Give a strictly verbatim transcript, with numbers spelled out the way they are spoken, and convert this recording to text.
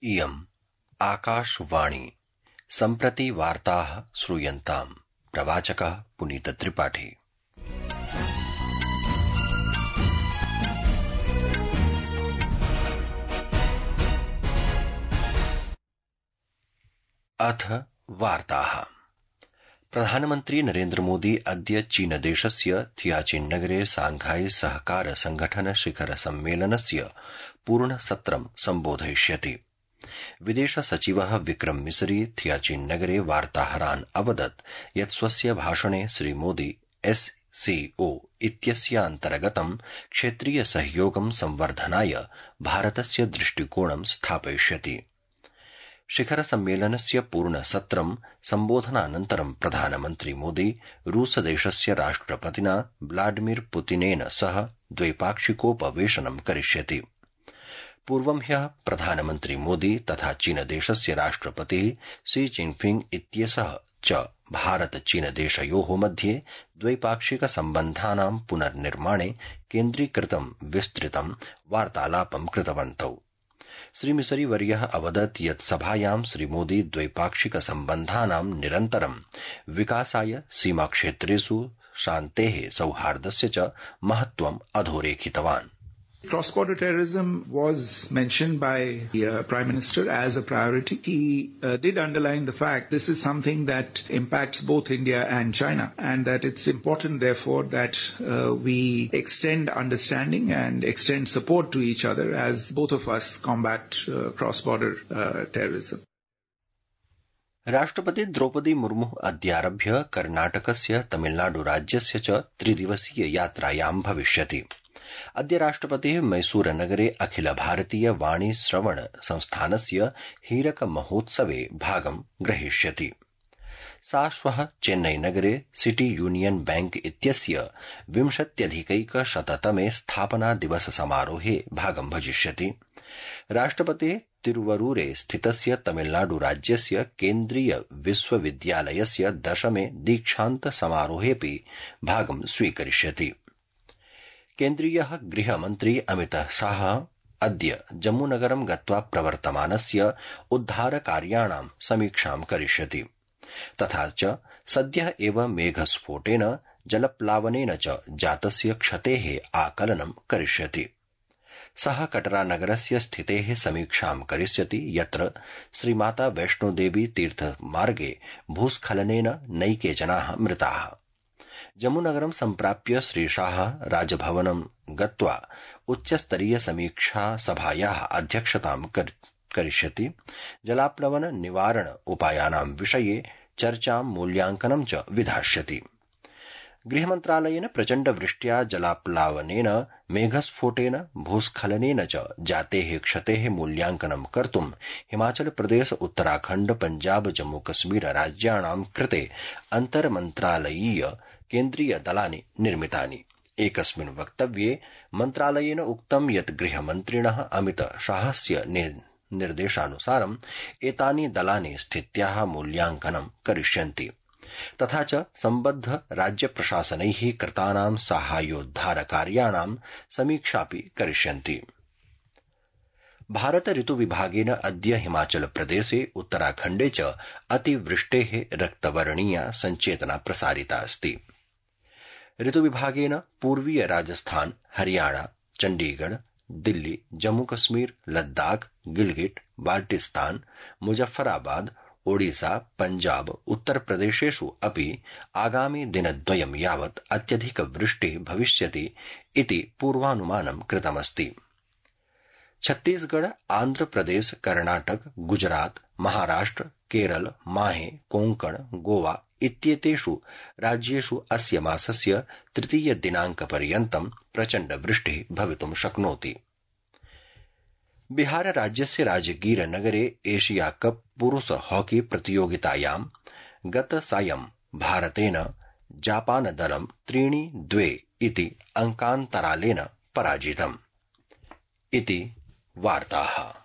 इयम् आकाशवाणी सम्प्रति वार्ताः श्रूयन्ताम्। प्रवाचकः पुनीतत्रिपाठी। अथ वार्ताः। प्रधानमन्त्री नरेन्द्र मोदी अद्य चीनदेशस्य थियाचिन नगरे सांघाई सहकार संघठन शिखर सम्मेलनस्य पूर्णसत्रं सम्बोधयिष्यति। विदेश सचिवः विक्रम मिसरी थियाचिन नगरे वार्ताहरान् अवदत् यत् स्वस्य भाषणे श्रीमोदी एससीओ इत्यस्य अन्तर्गतं क्षेत्रीय सहयोगं संवर्धनाय भारतस्य दृष्टिकोणं स्थापयिष्यति। शिखर सम्मेलनस्य पूर्णसत्रं सम्बोधनानन्तरं प्रधानमन्त्री मोदी रूसदेशस्य राष्ट्रपतिना व्लादिमीर पुतिनेन सह द्वैपाक्षिकोपवेशनं करिष्यति। पूर्वं ह्यः प्रधानमन्त्री मोदी तथा चीनदेशस्य राष्ट्रपतिः शी जिनपिंग इत्येषः च भारत चीनदेशयोः मध्ये द्वैपाक्षिक सम्बन्धानां पुनर्निर्माणे केन्द्रीकृतं विस्तृतं वार्तालापं कृतवन्तौ। श्रीमिसरी वर्यः अवदत् यत् सभायां श्रीमोदी द्वैपाक्षिक सम्बन्धानां निरन्तरं विकासाय सीमाक्षेत्रेषु शान्तेः सौहार्दस्य च महत्त्वम् अधोरेखितवान्। Cross-border terrorism was mentioned by the uh, Prime Minister as a priority. He uh, did underline the fact this is something that impacts both India and China, and that it's important, therefore, that uh, we extend understanding and extend support to each other as both of us combat uh, cross-border uh, terrorism. राष्ट्रपति द्रौपदी मुर्मु अद्यारभ्य कर्णाटकस्य तमिलनाडु राज्यस्य च त्रिदिवसीय यात्रायां भविष्यति। अद्य राष्ट्रपतिः मैसूरनगरे अखिल भारतीय वाणी श्रवण संस्थानस्य हीरक महोत्सवे भागं ग्रहीष्यति। सा श्वः चेन्नईनगरे सिटी यूनियन बैंक इत्यस्य विंशत्यधिकैकशततमे स्थापना दिवस समारोहे भागं भजिष्यति। राष्ट्रपतिः तिरुवरूरे स्थितस्य तमिलनाडु राज्यस्य केन्द्रीय विश्वविद्यालयस्य दशमे दीक्षान्त समारोहेऽपि भागं स्वीकरिष्यति। केन्द्रीयः गृहमन्त्री अमितः शाह अद्य जम्मूनगरं गत्वा प्रवर्तमानस्य उद्धारकार्याणां समीक्षां करिष्यति। तथा च सद्यः एव मेघस्फोटेन जलप्लावनेन च जातस्य क्षतेः आकलनं करिष्यति। सः कटरानगरस्य स्थितेः समीक्षां करिष्यति यत्र श्रीमाता वैष्णोदेवी तीर्थमार्गे भूस्खलनेन नैके जनाः मृताः। जम्मूनगरं सम्प्राप्य श्रीशाह राजभवनं गत्वा उच्चस्तरीय समीक्षा सभायाः अध्यक्षतां करिष्यति। जलाप्लवन निवारण उपायानां विषये चर्चां मूल्यांकनं च विधास्यति। गृहमन्त्रालयेन प्रचण्ड वृष्ट्या जलाप्लावनेन मेघस्फोटेन भूस्खलनेन च जातेः क्षतेः मूल्यांकनं कर्तुं हिमाचल प्रदेश उत्तराखण्ड पंजाब जम्मू कश्मीर राज्याणां कृते अन्तर्मन्त्रालयीय केन्द्रीय दलानि निर्मितानि। एकस्मिन् वक्तव्ये मन्त्रालयेन उक्तं यत् गृहमन्त्रिणः अमित शाहस्य निर्देशानुसारं एतानि दलानि स्थित्याः मूल्यांकनं करिष्यन्ति। तथा च सम्बद्ध राज्य प्रशासनैः कृतानां साहाय्योद्धारकार्याणां समीक्षापि करिष्यन्ति। भारत ऋतुविभागेन अद्य हिमाचल प्रदेशे उत्तराखण्डे च अतिवृष्टेः रक्तवर्णीया संचेतना प्रसारिता अस्ति। ऋतुविभागेन पूर्वीय राजस्थान, हरियाणा, चण्डीगढ़, दिल्ली, जम्मू कश्मीर, लद्दाख, गिलगिट, बाल्टिस्तान, मुजफ्फराबाद, ओडिशा, पंजाब, उत्तर प्रदेशेषु अपि आगामि दिनद्वयं यावत् अत्यधिक वृष्टिः भविष्यति इति पूर्वानुमानं कृतमस्ति। छत्तीसगढ़, आंध्र प्रदेश, कर्णाटक, गुजरात, महाराष्ट्र, केरल, माहे, कोंकण, गोवा इत्येतेषु राज्येषु अस्य मासस्य तृतीय दिनांकपर्यन्तं प्रचण्ड वृष्टिः भवितुं शक्नोति। बिहार राज्यस्य राजगीर नगरे एशिया कप पुरुष हॉकी प्रतियोगितायां गतसायं भारतेन जापान दलं त्रीणि द्वे इति अंकान्तरालेन पराजितम्। इति वार्ताः।